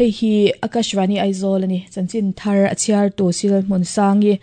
Hei hi Akashvani Aizawl a ni. Chanchin thar a chhiartu Sil Hmunsangi.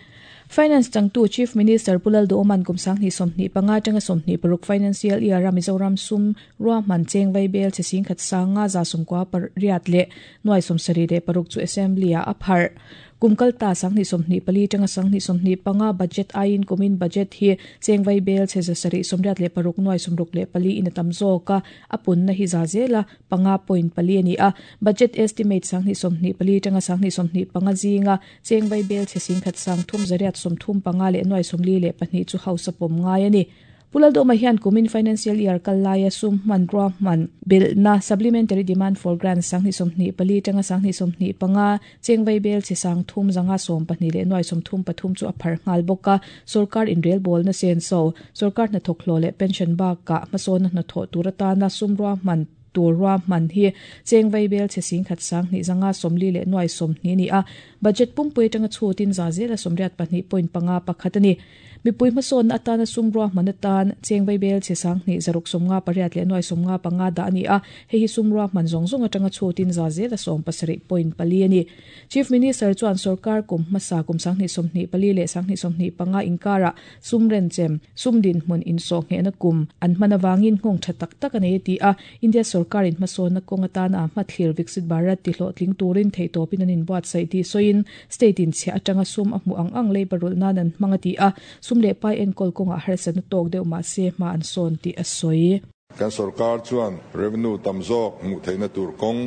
Finance changtu Chief Minister Pu Lalduhawma'n kum 2025 atanga 26 financial year-a Mizoram sum ruahman cheng vaibel che singkhat sanga 98 leh nuai 76 chu Assembly-ah a pharh. Kum kalta 2024 atanga 2025 budget aiin kumin budget hi cheng vaibel che 786 nuai 64 in a tam zawk a, a punna hi za zela 5.4 a ni a. Budget estimate 2024 atanga 2025 zinga cheng vaibel che singkhat sang thum zariat 35 leh nuai 42 chu House a pawm ngai a ni. Pu Lalduhawma hian kumin financial year kal laia sum hmanrua hman belhna Supplementary Demand for Grants 2024 atanga 2025 cheng vaibel che sang thum zanga 12 leh nuai 33 chu a phar nghal bawk a. Sorkar inrelbawlna senso, sorkar hnathawk hlawh leh pension bakah hmasawnna hnathawh tur atana sum ruahman tur ruahman hi cheng vaibel che singkhat sang hnih zanga 40 leh nuai 20 a ni a. Budget pumpui atanga chhutin za zela 82.5 pakhat a ni. Mipui hmasawnna atana sum ruahman atan cheng vaibel che sang hnih zaruk 58 leh nuai 55 dah a ni a. Hei hi sum ruahman zawng zawng atanga chhutin za zela 17.4 a ni. Chief Minister chuan sorkar kum hmasa kum 2024 leh 2025 inkarah sum renchem, sum dinhmun insawhnghehna kum an hman avangin nghawng tha tak tak a nei a ti a. India sorkarin hmasawnna kawng atana a hmathlir Viksit Bharat tihlawhtling turin theihtawpin an inbuatsaih tih sawiin state in chhiah atanga sum a hmuh ang ang leiba rulh nan an hmang a ti a, sum leh pai enkawl kawngah harsatna tawk deuh mahse hma an sawn tih a sawi. Kan sorkar chuan revenue tam zawk hmuh theihna tur kawng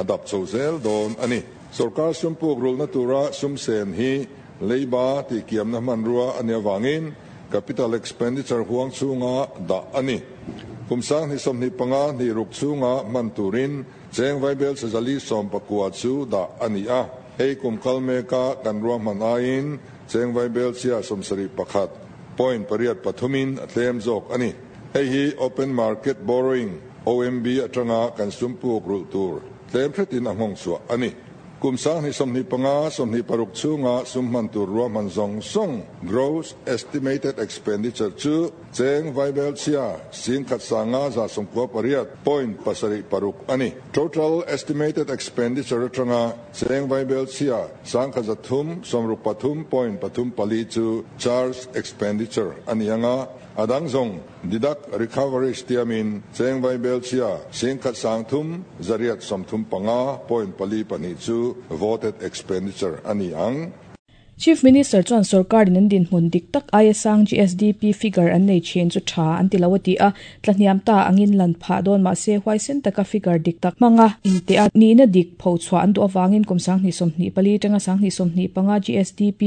a dap chho zel dawn a ni. Sorkar sum puk rulhna tura sum sen hi leiba tihkiamna hmanrua a nih avangin capital expenditure huang chhunga dah a ni. Kum 2025 hnih ruk chhunga hman turin cheng vaibel chezali 19 chu dah a ni a. Hei kum kal meka kan ruahman aiin cheng vaibel chhia 71.83 in a tlem zawk a ni. Hei hi open market borrowing, OMB, atanga kan sum puk rulh tur tlem hretin a nghawng chhuah a ni. Kum 2025 26 chhunga sum hman tur ruahman zawng zawng, gross estimated expenditure, chu cheng vaibel chhia singkhat sanga 98.76 a ni. Total estimated expenditure atanga cheng vaibel chhia 1,363.34 chu charge expenditure a ni anga, a dang zawng deduct recoveries tiamin cheng vaibel chhia 1,335.42 chu voted expenditure a ni ang. Chief Minister chuan sorkarin an dinhmun dik tak aia sang GSDP figure an nei thin chu tha an ti lo a ti a, tlahniam ta angin lan phah dawn mahse huaisen taka figure dik tak hmanga inteh a nihna dik phochhuah an duh avangin kum 2024 atanga 2025 GSDP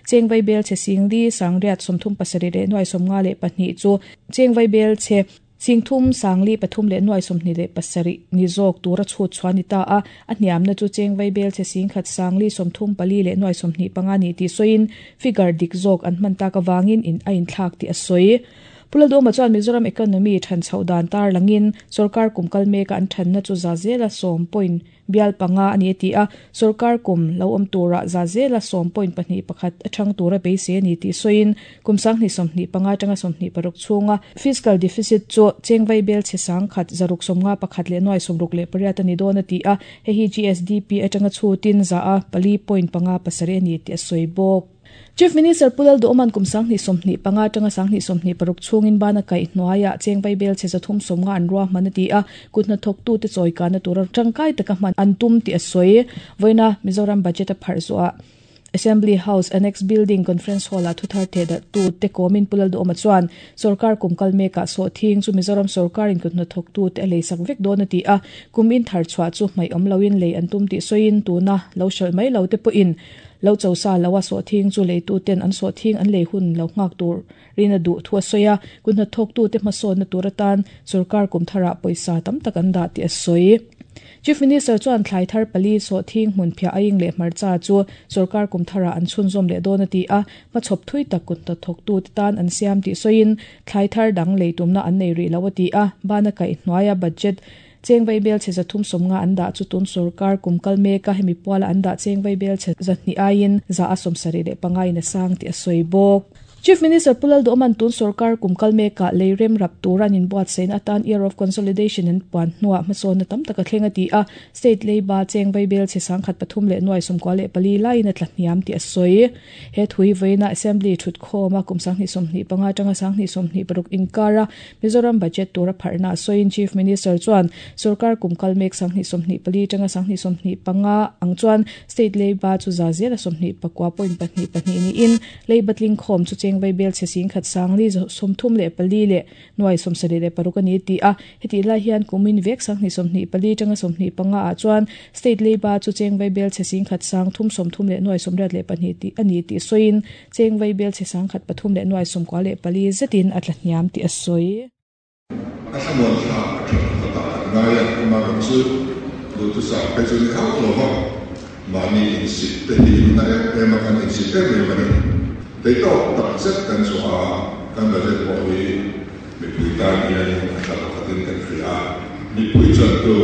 cheng vaibel che singli sangriat 37 leh nuai 52 chu cheng vaibel che singthum sangli pathum leh nuai 27 ni zawk tura chhut chuan ni ta a, a hniamna chu cheng vaibel che singkhat sangli 34 leh nuai 25 ni tih sawiin figure dik zawk an hman tak awangin in a inthlak tih a sawi. Pu Lalduhawma chuan Mizoram economy than chhoh dan tar langin sorkar kum kal meka an thanna chu za zela 10 point bial panga a ni a ti a, sorkar kum lo awm tura za zela 10.21 a thang tura beisei a ni tih sawiin kum 2025 atanga 26 chhunga fiscal deficit chu cheng vaibel che sang khat zaruk 51 leh nuai 68 a ni dawn a ti a, hei hi GSDP atanga chhutin za a 4.57 a ni tih a sawi bawk. Chief Minister Pu Lalduhawma'n kum 2025 atanga 2026 chhungin bana kaih hnuaiah cheng vaibel che 350 an ruahman a ti a, kut hnathawktute chawikana tura tangkai taka hman an tum tih a sawi. Vawiina Mizoram budget a pharh zuah Assembly House Annex Building Conference Hall-ah thuthar thehdarhtu te kawmin Pu Lalduhawma chuan sorkar kum kal mekah sawhthing chu Mizoram sorkarin kut hnathawktute a leisak vek dawn a ti a, kum in thar chhuah chu hmaih awm loin lei an tum tih sawiin tuna lo hralh mai lo te pawhin lo chosa lo a sawhthing chu leitu ten an sawhthing an lei hun lo nghak tur rin a duh thu a sawi a, kut hnathawktute hmasawnna tur atan sorkar kum tharah pawisa tam tak an dah tih a sawi. Chief Minister chuan thlai thar pali sawhthing hmun phiah aing leh hmarcha chu sorkar kum tharah an chhunzawm leh dawn a ti a, hmachhawp thui tak kut hnathawktute tan an siam tih sawiin thlai thar dang lei tumna an nei rih lo a ti a, bana kaih hnuaia budget cheng vaibel che 350 an dah chu tun sorkar kum kal meka hemi puala an dah cheng vaibel che 200 aiin za a 75 in a sang tih a sawi bawk. Chief Minister Pu Lalduhawma'n tun sorkar kum kal mekah lei rem rap tura an inbuatsaihna atan Year of Consolidation an puan hnuah hmasawnna tam tak a thleng a ti a, State leiba cheng vaibel chhe sangkhat 394 laiin a tla hniam tih a sawi. He thui vawiina Assembly thutkhawma kum 2025 atanga 2026 inkara Mizoram budget tura pharhna a sawiin Chief Minister chuan sorkar kum kal mek 2024 atanga 2025 ang chuan State leiba chu za zela 29.22 niin Leiba tlingkhawm chu cheng vaibel chhe singkhat sangli 34 leh nuai 76 a ni ti a, hetih lai hian kumin vek 2024 tanga 25 ah chuan State leiba chu cheng vaibel chhe singkhat sang thum 30 leh nuai 82 tih a ni tih sawiin cheng vaibel chhe sangkhat pathum leh nuai 94 zetin a tla hniam tih a sawi. A thlamuan thlak a tha pakhatah kan ngai a, amaherawhchu duhthusam phei chu ni hauh lo va, mahni insit te hi na em em a kan insit em em a ni. Theitawk tak zet kan chhuah a, kan budget pawh hi mipui tan hianin a tha pakhatin kan hria a, mipui chuan tu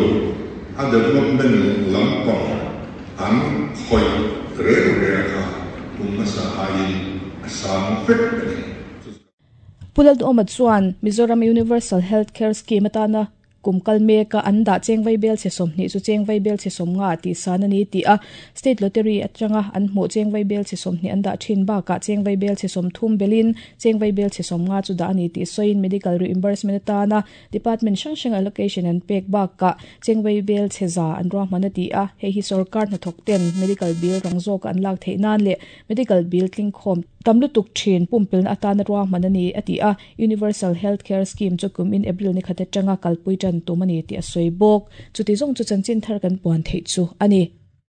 a development lampang an khawih reng reng kha kum hmasa aiin a sang vek a ni. Pu Lalduhawma chuan Mizoram Universal Health Care Scheme atana kum kal meka an dah cheng vaibel chhe 20 chu cheng vaibel chhe 50 tih san a ni tih a, State Lottery atanga an hmuh cheng vaibel chhe 20 an dah thin bakah cheng vaibel chhe 30 belin cheng vaibel chhe 50 chu dah a ni tih sawiin Medical Reimbursement atana Department hrang hrang allocation an pek bakah cheng vaibel chhe za an ruahman a ti a, hei hi sorkar hnathawk ten medical bill rang zawka an lak theih nan leh Medical bill tlingkhawm tam lutuk thin pumpelna atana ruahman a ni, a ti a. Universal Health Care Scheme chu kum in April ni khat atanga kalpui tan tum a ni tih a sawi bawk. Chuti zawng chu chanchin thar kan puan theih chu a ni.